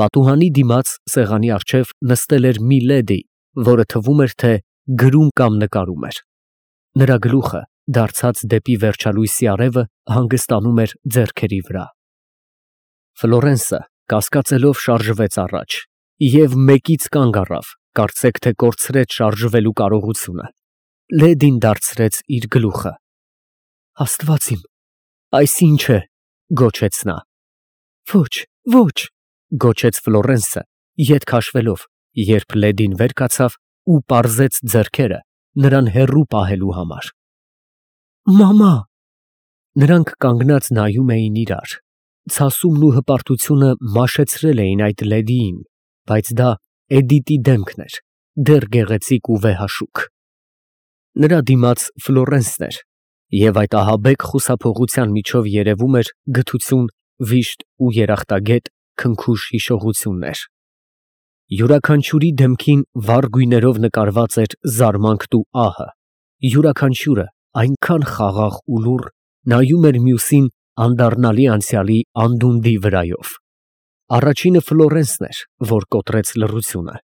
Պատուհանի դիմաց սեղանի առջև նստել էր մի լեդի, որը թվում էր, թե գրում կամ նկարում էր։ Նրա գլուխը, դարձած դեպի վերջալույսի արևը, հանգստանում էր ձեռքերի վրա։ Ֆլորենսը կասկածելով շարժվեց առաջ և մեկից կանգ առավ, կարծեք թե կորցրեց շարժվելու կարողությունը։ Լեդին դարձրեց իր գլուխը։ Աստված իմ, այս ի՞նչ է, գոչեց նա։ Ոչ, ոչ, գոչեց Ֆլորենսը, ետ քաշվելով, երբ լեդին վեր կացավ ու պարզեց ձեռքերը նրան հեռու պահելու համար։ Մամա։ Նրանք կանգնած նայում էին իրար։ Ցասումն ու հպարտությունը մաշեցրել էին այդ լեդիին, բայց դա Էդիտի դեմքն էր, դեռ գեղեցիկ ու վեհաշուք։ Նրա դիմաց Ֆլորենսն էր, և այդ ահաբեկ խուսափողության միջով երևում էր գթություն, վիշտ ու երախտագետ քնքուշ հիշողություններ։ Յուրաքանչյուրի դեմքին վառ գույներով նկարված էր զարմանքն ու ահը, յուրաքանչյուրը այնքան խաղաղ ու լուռ, նայում էր մյուսին անդառնալի անցյալի անդունդի վրայով։ Առաջինը Ֆլորենսն էր, որ կոտրեց լռությունը։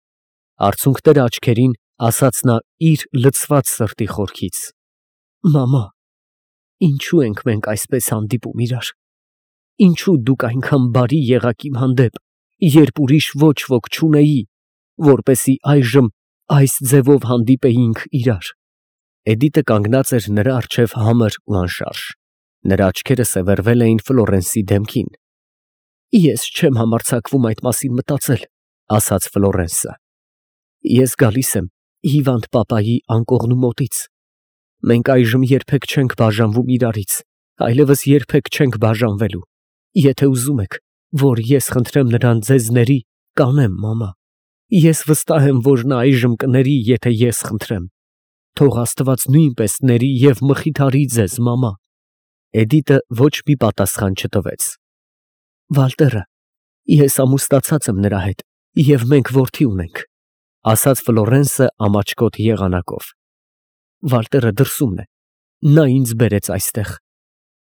Արցունքները աչքերին, ասաց նա իր լցված սրտի խորքից. Մամա, ինչու ենք մենք այսպես հանդիպում իրար։ Ինչու դուք այնքան բարի եղաք իմ հանդեպ, երբ ուրիշ ոչ ոք չունեի, որպեսզի այժմ այս ձևով հանդիպեինք իրար։ Էդիտը կանգնած էր նրա առջև համր ու անշարժ։ Նրա աչքերը սևեռվել էին Ֆլորենսի դեմքին։ Ես չեմ համարձակվում այդ մասին մտածել, ասաց Ֆլորենսը։ Ես գալիս եմ հիվանդ պապայի անկողնու մոտից։ Մենք այժմ երբեք չենք բաժանվում իրարից, այլևս երբեք չենք բաժանվելու։ Եթե ուզում եք, որ ես խնդրեմ նրան ձեզ ների, կանեմ, մամա։ Ես վստահ եմ, որ նա այժմ կների, եթե ես խնդրեմ։ Թող Աստված նույնպես ների և մխիթարի ձեզ, մամա։ Էդիտը ոչ մի պատասխան չտվեց։ Վալտերը, ես ամուսնացած եմ նրա հետ, և մենք որդի ունենք, ասաց Ֆլորենսը ամաչկոտ եղանակով։ Վալտերը դրսումն է, նա ինձ բերեց այստեղ։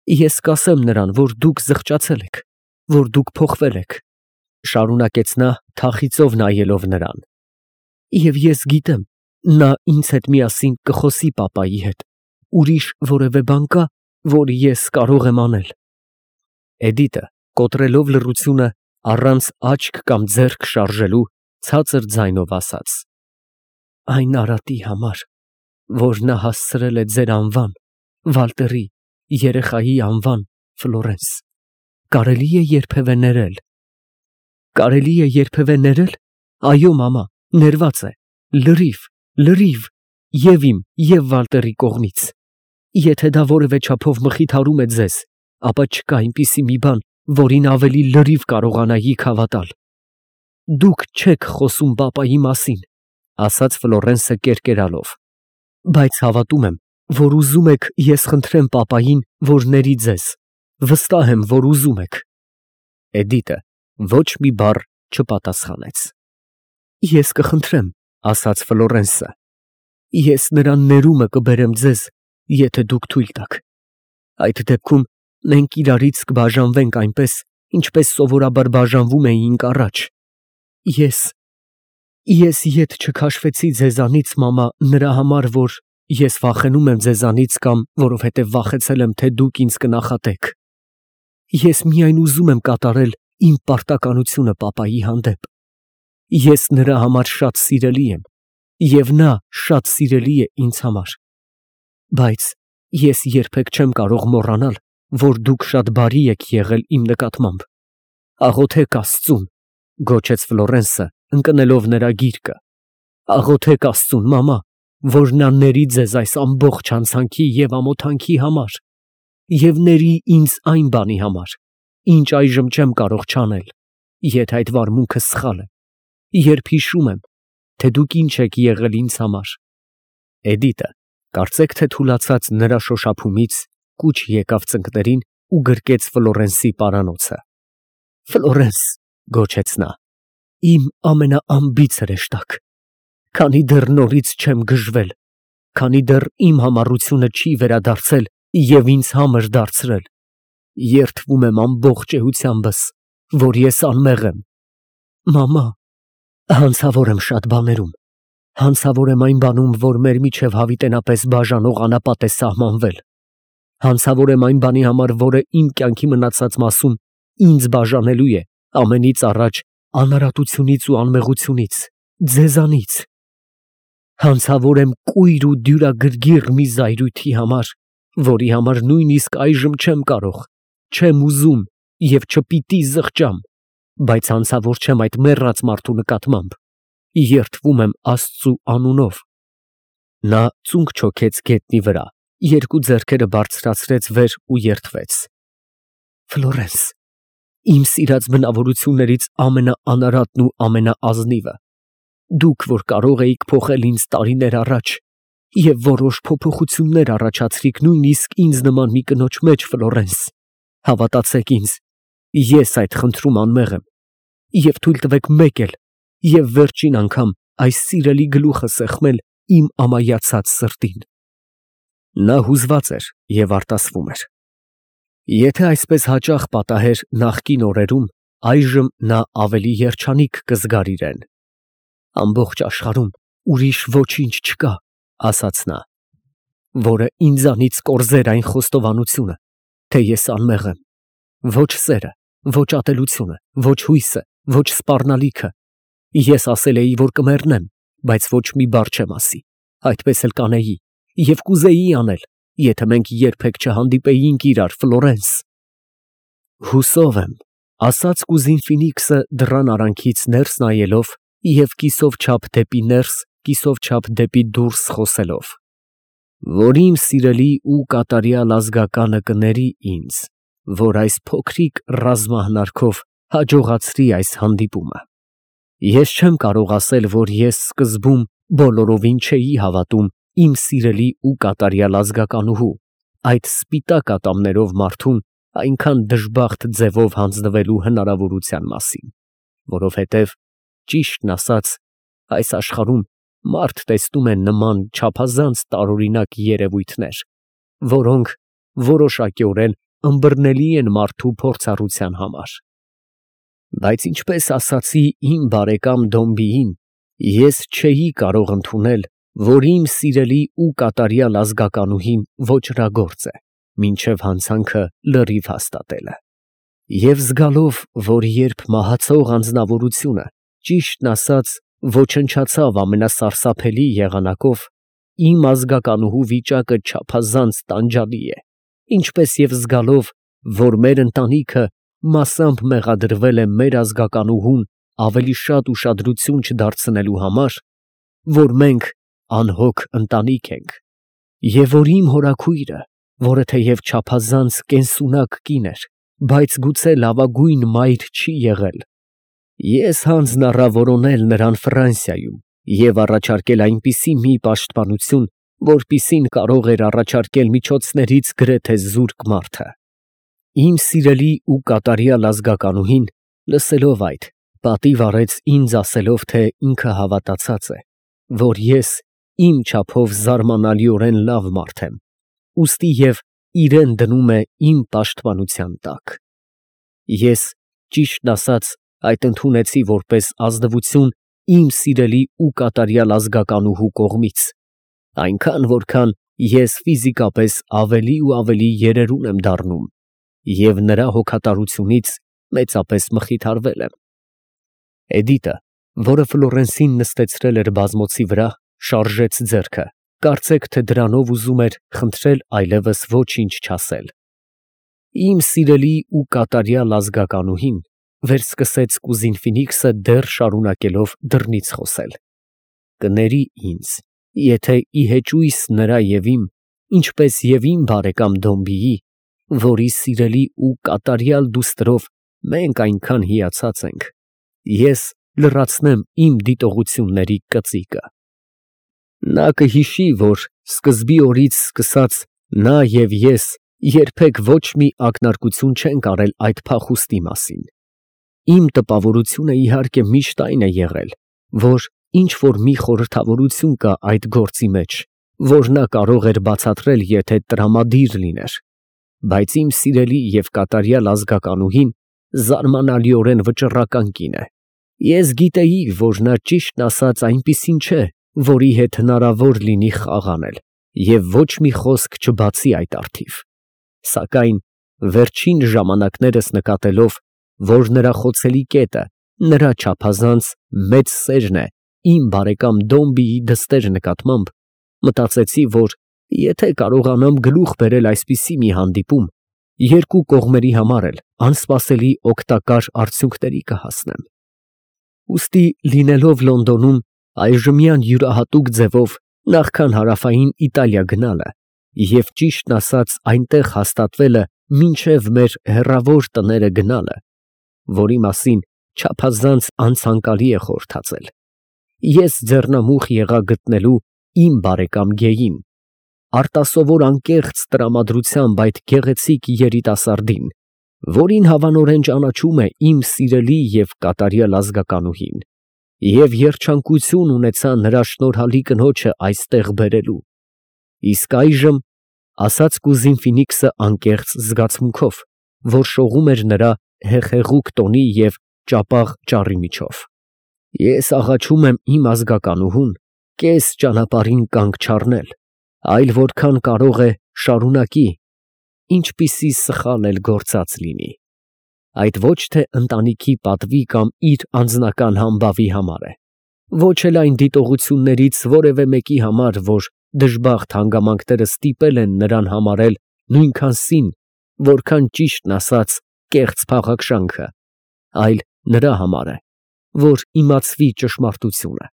Ես կասեմ նրան, որ դուք զղջացել եք, որ դուք փոխվել եք, շարունակեց նա թախիծով նայելով նրան։ Եվ ես գիտեմ, նա ինձ հետ միասին կխոսի պապայի հետ, ուրիշ որևէ բան կա, որ ես կարող եմ անել։ Էդիտը, կոտրելով լռությունը, առանց աչք կամ ձեռք շարժելու, ցածր ձայնով ասաց. Այն արատի համար, որ նա հասցրել է ձեր անվան, Վալտերի, երեխայի անվան, Ֆլորենս, կարելի է երբևէ ներել։ Կարելի է երբևէ ներել։ Այո, մամա, ներված է, լրիվ, և իմ, և Վալտերի կողմից։ Եթե դա որևէ չափով մխիթարում է ձեզ, ապա չկա այնպիսի մի բան, որին ավելի լրիվ կարողանայիք հավատալ։ Դուք չեք խոսում պապայի մասին, ասաց Ֆլորենսը կերկերալով, բայց հավատում եմ, որ ուզում եք ես խնդրեմ պապային, որ ների ձեզ, վստահ եմ, որ ուզում եք։ Էդիտը ոչ մի բառ չպատասխանեց։ Ես կխնդրեմ, ասաց Ֆլորենսը, ես նրան ներումը կբերեմ ձեզ, եթե դուք թույլ տաք։ Այդ դեպքում մենք իրարից կբաժանվենք այնպես, ինչպես սովորաբար բաժանվում էինք առաջ։ Ես ետ չքաշվեցի ձեզանից, մամա, նրա համար, որ ես վախենում եմ ձեզանից կամ որովհետև վախեցել եմ, թե դուք ինձ կնախատեք։ Ես միայն ուզում եմ կատարել իմ պարտականությունը պապայի հանդեպ։ Ես նրա համար շատ սիրելի եմ, և նա շատ սիրելի է ինձ համար։ Բայց ես երբեք չեմ կարող մոռանալ, որ դուք շատ բարի եք եղել իմ նկատմամբ։ Աղոթեք Աստծուն, գոչեց Ֆլորենսը, ընկնելով նրա գիրկը։ Աղոթեք Աստծուն, մամա, որ նա ների ձեզ այս ամբողջ հանցանքի և ամոթանքի համար, և ների ինձ այն բանի համար, ինչ այժմ չեմ կարող չանել, եթե այդ վարմունքը սխալ է, երբ հիշում եմ, թե դուք ինչ եք եղել ինձ համար։ Էդիտը, կարծեք թե թուլացած նրա շոշափումից, կուչ եկավ ծնկներին ու գրկեց Ֆլորենսի պարանոցը։ Ֆլորենս, գոչեց նա, իմ ամենաանբիծ հրեշտակ, քանի դեռ նորից չեմ գժվել, քանի դեռ իմ համառությունը չի վերադարձել և ինձ համր դարձրել, երդվում եմ ամբողջ էությամբս, որ ես անմեղ եմ, Մամա, հանցավոր եմ շատ բաներում։ Հանցավոր եմ այն բանում, որ մեր միջև հավիտենապես բաժանող անապատ է սահմանվել։ Հանցավոր եմ այն բանի համար, որը իմ կյանքի մնացած մասում ինձ բաժանելու է ամենից առաջ անարատությունից ու անմեղությունից, ձեզանից։ Հանցավոր եմ կույր ու դյուրագրգիռ մի զայրույթի համար, որի համար նույնիսկ այժմ չեմ կարող, չեմ ուզում և չպիտի զղջամ, բայց հանցավոր չեմ այդ մեռած մարդու նկատմամբ, երդվում եմ Աստծու անունով։ Նա ծունկ չոքեց գետնի վրա, երկու ձեռքերը բարձրացրեց վեր ու երդվեց։ Ֆլորենս, իմ սիրած բնավորություններից ամենաանարատն ու ամենաազնիվը, դուք, որ կարող էիք փոխել ինձ տարիներ առաջ և որոշ փոփոխություններ առաջացրիք նույնիսկ ինձ նման մի կնոջ մեջ, Ֆլորենս, հավատացեք ինձ, ես այդ խնդրում անմեղ եմ, և թույլ տվեք մեկ էլ և վերջին անգամ այս սիրելի գլուխը սեղմել իմ ամայացած սրտին։ Նա հուզված էր և արտասվում էր։ Եթե այսպես հաճախ պատահեր նախկին օրերում, այժմ նա ավելի երջանիկ կզգար իրեն։ Ամբողջ աշխարհում ուրիշ ոչինչ չկա, ասաց նա, որը ինձանից կորզեր այն խոստովանությունը, թե ես անմեղ եմ։ Ոչ սերը, ոչ ատելությունը, ոչ հույսը, ոչ սպառնալիքը։ Ես ասել էի, որ կմեռնեմ, բայց ոչ մի բառ չեմ ասի, այդպես էլ կանեի և կուզեի անել, եթե մենք երբեք չհանդիպեինք իրար, Ֆլորենս։ Հուսով եմ, ասաց կուզին Ֆինիքսը դռան արանքից ներս նայելով և կիսով չափ դեպի ներս, կիսով չափ դեպի դուրս խոսելով, որ իմ սիրելի ու կատարյալ ազգականը կների ինձ, որ այս փոքրիկ ռազմահնարքով հաջողացրի այս հանդիպումը։ Ես չեմ կարող ասել, որ ես սկզբում բոլորովին չէի հավատում իմ սիրելի ու կատարյալ ազգականուհու, այդ սպիտակ ատամներով մարդուն այնքան դժբախտ ձևով հանձնվելու հնարավորության մասին, որովհետև, ճիշտն ասած, այս աշխարհում մարդ տեսնում է նման չափազանց տարօրինակ երևույթներ, որոնք որոշակիորեն ըմբռնելի են մարդու փորձառության համար։ Բայց ինչպես ասացի իմ բարեկամ Դոմբիին, ես չէի կարող ընդունել, որ իմ սիրելի ու կատարյալ ազգականուհին ոճրագործ է, մինչև հանցանքը լրիվ հաստատելը։ Եվ զգալով, որ երբ մահացող անձնավորությունը, ճիշտն ասած, ոչնչացավ ամենասարսափելի եղանակով, իմ ազգականուհու վիճակը չափազանց տանջալի է, ինչպես և զգալով, որ մեր ընտանիքը մասամբ մեղադրվել է մեր ազգականուհուն ավելի շատ ուշադրություն չդարձնելու համար, որ մենք անհոգ ընտանիք ենք, և որ իմ հորաքույրը, որը թեև չափազանց կենսունակ կին էր, բայց գուցե լավագույն մայր չի եղել, ես հանձն առա որոնել նրան Ֆրանսիայում և առաջարկել այնպիսի մի պաշտպանություն, որպիսին կարող էր առաջարկել միջոցներից գրեթե զուրկ մարդը։ Իմ սիրելի ու կատարյալ ազգականուհին, լսելով այդ, պատիվ արեց ինձ ասելով, թե ինքը հավատացած է, որ ես իմ չափով զարմանալիորեն լավ մարդ եմ, ուստի և իրեն դնում է իմ պաշտպանության տակ։ Ես, ճիշտն ասած, այդ ընդունեցի որպես ազնվություն իմ սիրելի ու կատարյալ ազգականուհու կողմից, այնքան, որքան ես ֆիզիկապես ավելի ու ավելի երերուն եմ դառնում և նրա հոգատարությունից մեծապես մխիթարվել եմ։ Էդիտը, որը Ֆլորենսին նստեցրել էր բազմոցի վրա, շարժեց ձեռքը, կարծեք թե դրանով ուզում էր խնդրել այլևս ոչինչ չասել։ Իմ սիրելի ու կատարյալ ազգականուհին վերսկսեց կուզին Ֆինիքսը դեռ շարունակելով դռնից խոսել. կների ինձ, եթե ի հեճույս նրա և իմ, ինչպես և իմ բարեկամ Դոմբիի, որի սիրելի ու կատարյալ դուստրով մենք այնքան հիացած ենք, ես լրացնեմ իմ դիտողությունների կծիկը։ Նա կհիշի, որ սկզբի օրից սկսած նա և ես երբեք ոչ մի ակնարկություն չենք արել այդ փախուստի մասին։ Իմ տպավորությունը իհարկե միշտ այն է եղել, որ ինչ որ մի խորհրդավորություն կա այդ գործի մեջ, որ նա կարող էր բացատրել, եթե տրամադիր լիներ, բայց իմ սիրելի և կատարյալ ազգականուհին զարմանալիորեն վճռական կին է, Ես գիտեի, որ նա ճիշտն ասած այնպիսին չէ, որի հետ հնարավոր լինի խաղ անել, և ոչ մի խոսք չբացի այդ առթիվ, սակայն վերջին ժամանակներս նկատելով, որ նրա խոցելի կետը, նրա չափազանց մեծ սերն է իմ բարեկամ Դոմբիի դստեր նկատմամբ, մտածեցի, որ եթե կարողանամ գլուխ բերել այսպիսի մի հանդիպում, երկու կողմերի համար էլ անսպասելի օգտակար արդյունքների կհասնեմ։ Ուստի լինելով Լոնդոնում այժմյան յուրահատուկ ձևով նախքան հարավային Իտալիա գնալը և ճիշտն ասած այնտեղ հաստատվելը մինչև մեր հեռավոր տները գնալը, որի մասին չափազանց անցանկալի է խորհրդածել, ես ձեռնամուխ եղա գտնելու իմ բարեկամ Գեյին, արտասովոր անկեղծ տրամադրությամբ այդ գեղեցիկ երիտասարդին, որին հավանորեն ճանաչում է իմ սիրելի և կատարյալ ազգականուհին, և երջանկություն ունեցա նրա շնորհալի կնոջը այստեղ բերելու, իսկ այժմ, ասաց կուզին Ֆինիքսը անկեղծ զգացմունքով, որ շողում էր նրա հեղեղուկ տոնի և ճապաղ ճառի միջով, ես աղաչում եմ իմ ազգականուհուն կես ճանապարհին կանգ չառնել, այլ որքան կարող է շարունակի, ինչպիսի սխալ էլ գործած լինի, այդ ոչ թե ընտանիքի պատվի կամ իր անձնական համբավի համար է, ոչ էլ այն դիտողություններից որևէ մեկի համար, որ դժբախտ հանգամանքները ստիպել են նրան համարել նույնքան սին, որքան ճիշտն ասած կեղծ փաղաքշանքը, այլ նրա համար է, որ իմացվի ճշմարտությունը։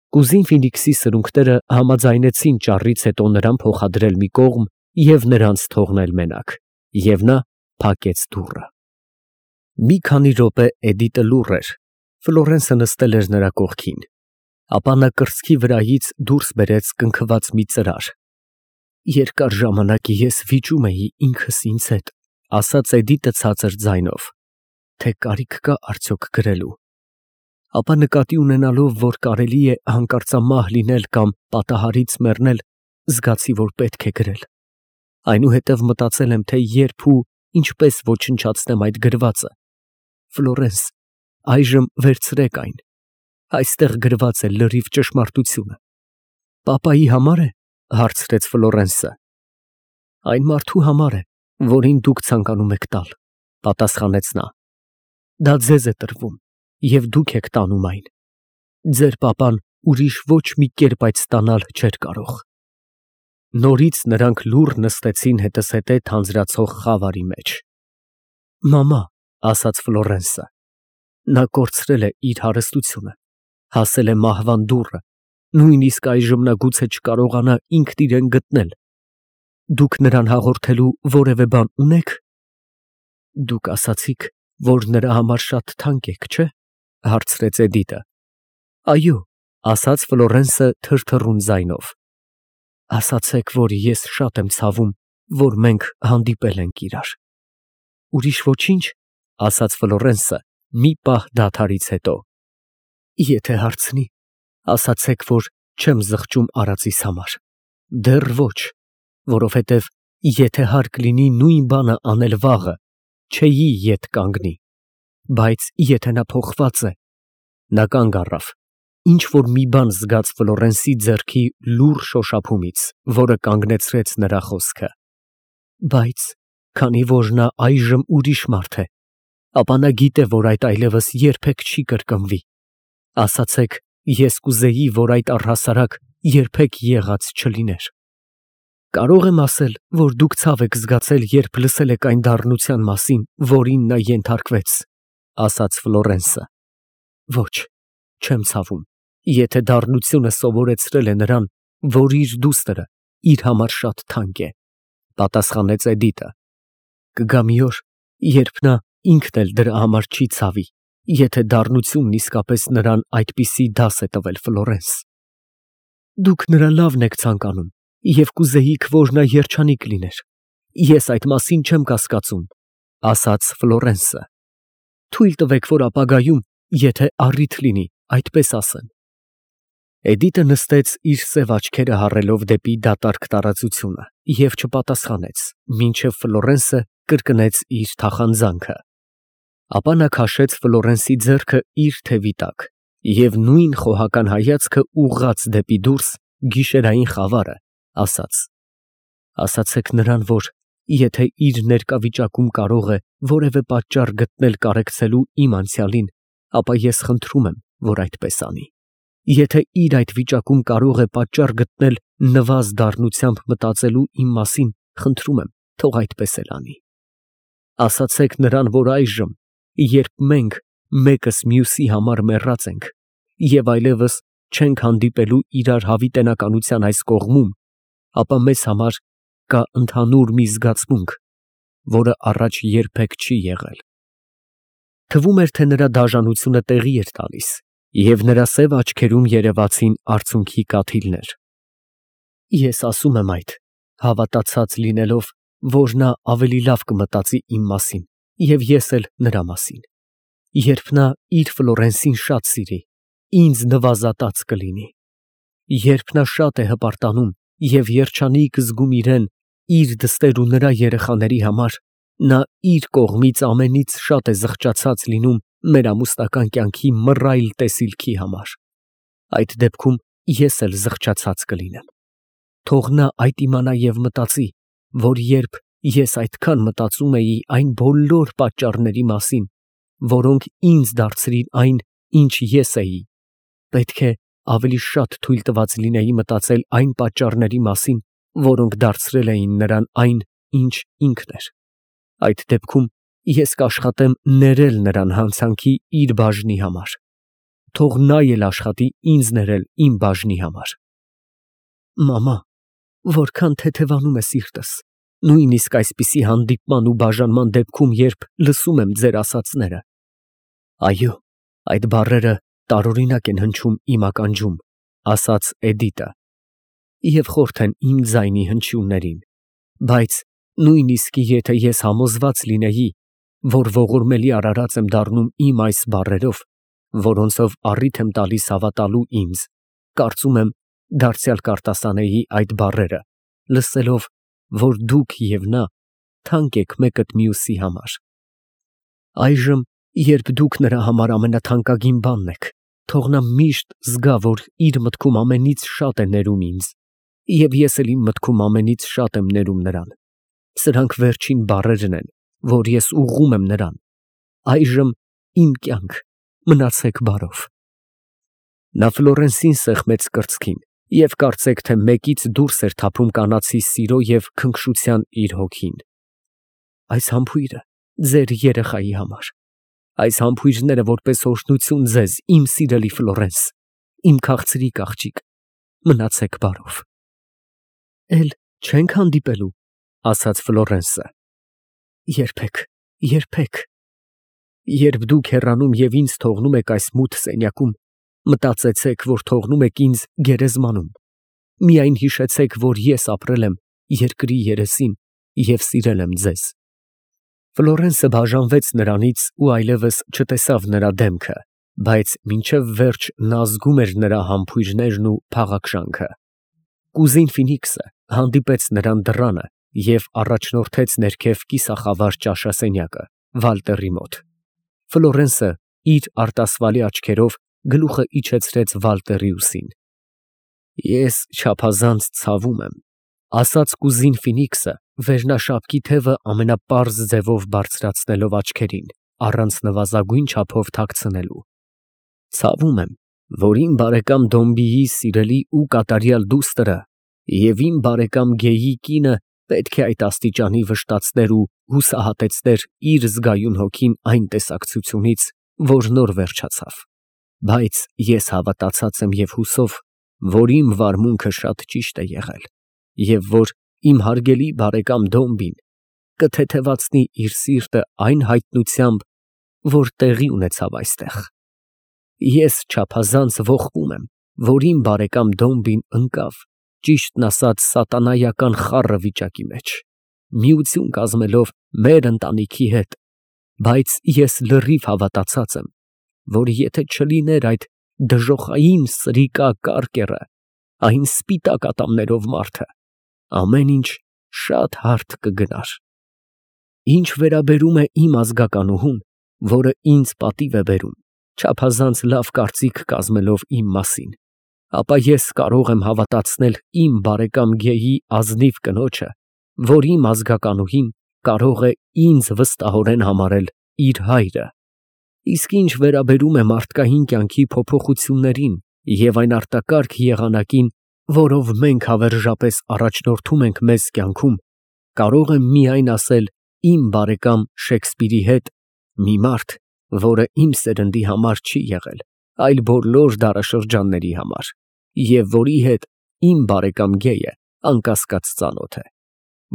Կուզին Ֆինիքսի սրունքները համաձայնեցին ճառից հետո նրան փոխադրել մի կողմ և նրանց թողնել մենակ, և նա փակեց դուռը։ Մի քանի րոպե Էդիտը լուռ էր, Ֆլորենսը նստել էր նրա կողքին, ապա նա կրծքի վրայից դուրս բերեց կնքված մի ծրար։ Երկար ժամանակ ես վիճում էի ինքս ինձ հետ, ասաց Էդիտը ցածր ձայնով, թե կարիք կա արդյոք գրելու, ապա նկատի ունենալով, որ կարելի է հանկարծամահ լինել կամ պատահարից մեռնել, զգացի, որ պետք է գրել։ Այնուհետև մտածել եմ, թե երբ ու ինչպես ոչնչացնեմ այդ գրվածը։ Ֆլորենս, այժմ վերցրեք այն։ Այստեղ գրված է լրիվ ճշմարտությունը։ Պապայի համար է, հարցրեց Ֆլորենսը։ Այն մարդու համար է, որին դուք ցանկանում եք տալ, պատասխանեց նա։ Դա ձեզ է տրվում, և դուք եք տանում այն։ Ձեր պապան ուրիշ ոչ մի կերպ այդ ստանալ չէր կարող։ Նորից նրանք լուռ նստեցին հետզհետե թանձրացող խավարի մեջ։ Մամա, ասաց Ֆլորենսը, նա կորցրել է իր հարստությունը, հասել է մահվան դուռը, նույնիսկ այժմ նա գուցե չկարողանա ինքն իրեն գտնել։ Դուք նրան հաղորդելու որևէ բան ունեք։ Դուք ասացիք, որ նրա համար շատ թանկ եք, չէ՞, հարցրեց Էդիտը։ Այո, ասաց Ֆլորենսը թրթռուն ձայնով։ Ասացեք, որ ես շատ եմ ցավում, որ մենք հանդիպել ենք իրար։ Ուրիշ ոչինչ, ասաց Ֆլորենսը մի պահ դադարից հետո։ Եթե հարցնի, ասացեք, որ չեմ զղջում արածիս համար։ Դեռ ոչ, որովհետև եթե հարկ լինի նույն բանը անել վաղը, չէի ետ կանգնի, բայց եթե նա փոխված է, նա կանգ առավ, ինչ որ մի բան զգաց Ֆլորենսի ձեռքի լուռ շոշափումից, որը կանգնեցրեց նրա խոսքը։ Բայց քանի որ նա այժմ ուրիշ մարդ է, ապա նա գիտե, որ այդ այլևս երբեք չի կրկնվի։ Ասացեք, ես կուզեի, որ այդ առհասարակ երբեք եղած չլիներ։ Կարող եմ ասել, որ դուք ցավ եք զգացել, երբ լսել եք այն դառնության մասին, որին նա ենթարկվեց, ասաց Ֆլորենսը։ Ոչ, չեմ ցավում, եթե դառնությունը սովորեցրել է նրան, որ իր դուստրը իր համար շատ թանկ է, պատասխանեց Էդիտը։ Կգա մի օր, երբ նա ինքն էլ դրա համար չի ցավի, եթե դառնությունն իսկապես նրան այդպիսի դաս է տվել, Ֆլորենս։ Դուք նրա լավն եք ցանկանում և կուզեիք, որ նա երջանիկ լիներ։ Ես այդ մասին չեմ կասկածում, ասաց Ֆլորենսը։ Թույլ տվեք, որ ապագայում, եթե առիթ լինի, այդպես ասեմ։ Էդիտը նստեց իր սև աչքերը հառելով դեպի դատարկ տարածությունը և չպատասխանեց, մինչև Ֆլորենսը կրկնեց իր թախանձանքը։ Ապա նա քաշեց Ֆլորենսի ձեռքը իր թևի տակ և նույն խոհական հայացքը ուղղած դեպի դուրս գիշերային խավարը, ասաց. «Ասացեք նրան, որ եթե իր ներկա վիճակում կարող է որևէ պատճառ գտնել կարեկցելու իմ անցյալին, ապա ես խնդրում եմ, որ այդպես անի։ Եթե իր այդ վիճակում կարող է պատճառ գտնել նվազ դառնությամբ մտածելու իմ մասին, խնդրում եմ, թող այդպես էլ անի։ Ասացեք նրան, որ այժմ, երբ մենք մեկս մյուսի համար մեռած ենք և այլևս չենք հանդիպելու իրար հավիտենականության այս կողմում, ապա մեզ համար կա ընդհանուր մի զգացմունք, որը առաջ երբեք չի եղել»։ Թվում էր, թե նրա դաժանությունը տեղի էր տալիս, և նրա սև աչքերում երևացին արցունքի կաթիլներ։ Ես ասում եմ այդ, հավատացած լինելով, որ նա ավելի լավ կմտածի իմ մասին և ես էլ նրա մասին։ Երբ նա իր Ֆլորենսին շատ սիրի, ինձ նվազատած կլինի։ Երբ նա շատ է հպարտանում և երջանիկ զգում իրեն իր դստեր ու նրա երեխաների համար, նա իր կողմից ամենից շատ է զղջացած լինում մեր ամուսնական կյանքի մռայլ տեսիլքի համար։ Այդ դեպքում ես էլ զղջացած կլինեմ։ Թող նա այդ իմանա և մտածի, որ երբ ես այդքան մտածում էի այն բոլոր պատճառների մասին, որոնք ինձ դարձրին այն, ինչ ես էի, պետք է ավելի շատ թույլ տված լինեի մտածել այն պատճառների մասին, որոնք դարձրել էին նրան այն, ինչ ինքն էր։ Այդ դեպքում ես կաշխատեմ ներել նրան հանցանքի իր բաժնի համար։ Թող նա էլ աշխատի ինձ ներել իմ բաժնի համար։ Մամա, որքան թեթևանում է սիրտս, նույնիսկ այսպիսի հանդիպման ու բաժանման դեպքում, երբ լսում եմ ձեր ասածները։ Այո, այդ բառերը տարօրինակ են հնչում իմ ականջում, ասաց Էդիտը, և խորթ են իմ ձայնի հնչյուններին, բայց նույնիսկ եթե ես համոզված լինեի, որ ողորմելի արարած եմ դառնում իմ այս բառերով, որոնցով առիթ եմ տալիս հավատալու ինձ, կարծում եմ, դարձյալ կարտասանեի այդ բառերը, լսելով, որ դուք և նա թանկ եք մեկըդ մյուսի համար։ Այժմ, երբ դուք նրա համար ամենաթանկագին բանն եք, թող նա միշտ զգա, որ իր մտքում ամենից շատ է ներում ինձ, և ես էլ իմ մտքում ամենից շատ եմ ներում նրան։ Սրանք վերջին բառերն են, որ ես ուղղում եմ նրան։ Այժմ իմ կյանք, մնացեք բարով։ Նա Ֆլորենսին սեղմեց կրծքին և կարծեք թե մեկից դուրս էր թափում կանացի սիրո և քնքշության իր հոգին։ Այս համբույրը ձեր երեխայի համար։ Այս համբույրները որպես օրհնություն ձեզ, իմ սիրելի Ֆլորենս, իմ քաղցրիկ աղջիկ, մնացեք բարով։ Էլ չե՞նք հանդիպելու, ասաց Ֆլորենսը։ Երբեք, երբեք։ Երբ դուք հեռանում և ինձ թողնում եք այս մութ սենյակում, մտածեցեք, որ թողնում եք ինձ գերեզմանում։ Միայն հիշեցեք, որ ես ապրել եմ երկրի երեսին և սիրել եմ ձեզ։ Ֆլորենսը բաժանվեց նրանից ու այլևս չտեսավ նրա դեմքը, բայց մինչև վերջ նա զգում էր նրա համբույրներն ու փաղաքշանքը։ Կուզին Ֆինիքսը հանդիպեց նրան դռանը և առաջնորդեց ներքև կիսախավար ճաշասենյակը, Վալտերի մոտ։ Ֆլորենսը իր արտասվալի աչքերով գլուխը իջեցրեց Վալտերի ուսին։ Ես չափազանց ցավում եմ, ասաց կուզին Ֆինիքսը, վերնաշապկի թևը ամենապարզ ձևով բարձրացնելով աչքերին, առանց նվազագույն չափով թաքցնելու։ Ցավում եմ, որ իմ բարեկամ Դոմբիի սիրելի ու կատարյալ դուստրը և իմ բարեկամ Գեյի կինը պետք է այդ աստիճանի վշտացներ ու հուսահատեցներ իր զգայուն հոգին այն տեսակցությունից, որ նոր վերջացավ, բայց ես հավատացած եմ և հուսով, որ իմ վարմունքը շատ ճիշտ է եղել, և որ իմ հարգելի բարեկամ Դոմբին կթեթևացնի իր սիրտը այն հայտնությամբ, որ տեղի ունեցավ այստեղ։ Ես չափազանց ողբում եմ, որ իմ բարեկամ Դոմբին ընկավ, ճիշտն ասած, սատանայական խառը վիճակի մեջ, միություն կազմելով մեր ընտանիքի հետ, բայց ես լրիվ հավատացած եմ, որ եթե չլիներ այդ դժոխային սրիկա կարկերը, այն սպիտակ ատամներով մարդը, ամեն ինչ շատ հարթ կգնար։ Ինչ վերաբերում է իմ ազգականուհուն, որը ինձ պատիվ է բերում, չափազանց լավ կարծիք կազմելով իմ մասին, ապա ես կարող եմ հավատացնել իմ բարեկամ Գեյի ազնիվ կնոջը, որ իմ ազգականուհին կարող է ինձ վստահորեն համարել իր հայրը։ Իսկ ինչ վերաբերում է մարդկային կյանքի փոփոխություններին և այն արտակարգ եղանակին, որով մենք հավերժապես առաջնորդում ենք մեզ կյանքում, կարող եմ միայն ասել իմ բարեկամ Շեքսպիրի հետ, մի մարդ, որը իմ սերնդի համար չի եղել, այլ բոլոր դարաշրջանների համար, և որի հետ իմ բարեկամ Գեյը անկասկած ծանոթ է,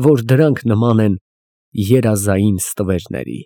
որ դրանք նման են երազային ստվերների։